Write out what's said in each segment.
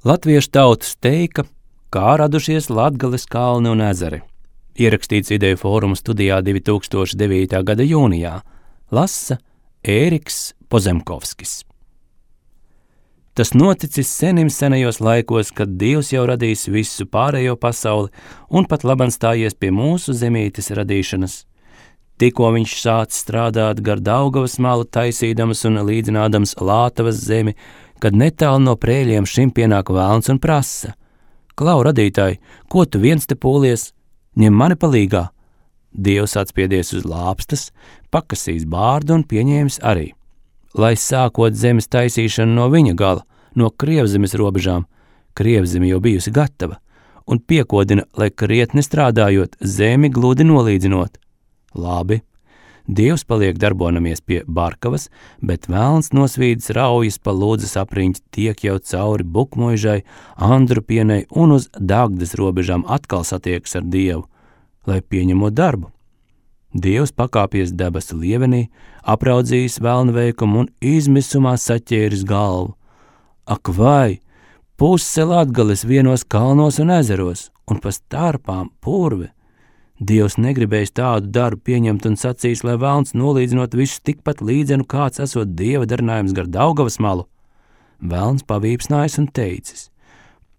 Latviešu tautas teika, kā radušies Latgales kalni un ezeri. Ierakstīts Ideju fóruma studijā 2009. gada jūnijā. Lasa Ēriks Pozemkovskis. Tas noticis senajos laikos, kad Dievs jau radījis visu pārējo pasauli un pat labam stājies pie mūsu zemītes radīšanas. Tikko viņš sācis strādāt gar Daugavas malu, taisīdams un līdzinādams Lātavas zemi, kad netālu no Prēļiem šim pienāk velns un prasa: Klau, radītāji, ko tu viens te pūlies? Ņem mani palīgā. Dievs atspiedies uz lāpstas, pakasīs bārdu un pieņēmis arī, lai sākot zemes taisīšanu no viņa gala, no Krievzemes robežām, Krievzeme jau bijusi gatava, un piekodina, lai krietni strādājot, zemi gludi nolīdzinot. Labi, Dievs paliek darbonamies pie Barkavas, bet velns nosvīdis raujas pa Lūdzas apriņķi tiek jau cauri Bukmoižai, Andrupienei un uz Dagdas robežām atkal satiekas ar Dievu, lai pieņemot darbu. Dievs pakāpies debesu lievenī, apraudzījis velna veikumu un izmisumā saķēris galvu. Ak vai, puse Latgales vienos kalnos un ezeros, un pa starpām purve. Dievs negribējis tādu darbu pieņemt un sacīs, lai velns nolīdzinot visu tikpat līdzenu, kāds esot Dieva darinājums gar Daugavas malu. Velns pavīpsnājis un teicis: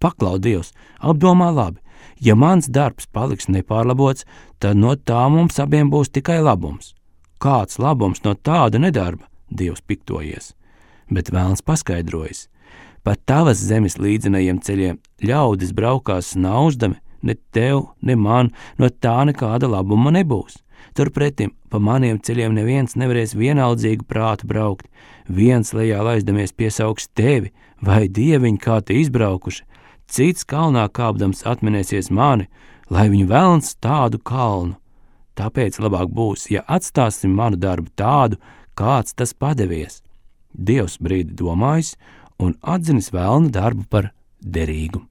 Paklau, Dievs, apdomā labi, ja mans darbs paliks nepārlabots, tad no tā mums abiem būs tikai labums. Kāds labums no tāda nedarba? Dievs piktojies. Bet velns paskaidrojis: Pa tavas zemes līdzinajiem ceļiem ļaudis braukās snauždami, ne tev, ne man, no tā nekāda labuma nebūs. Turpretim, pa maniem ceļiem neviens nevarēs vienaldzīgu prātu braukt, viens lejā laizdamies piesauks tevi, vai dieviņi kā te izbraukuši, cits kalnā kāpdams atminēsies mani, lai viņu velns tādu kalnu. Tāpēc labāk būs, ja atstāsim manu darbu tādu, kāds tas padevies. Dievs brīdi domājis un atzinis velna darbu par derīgu.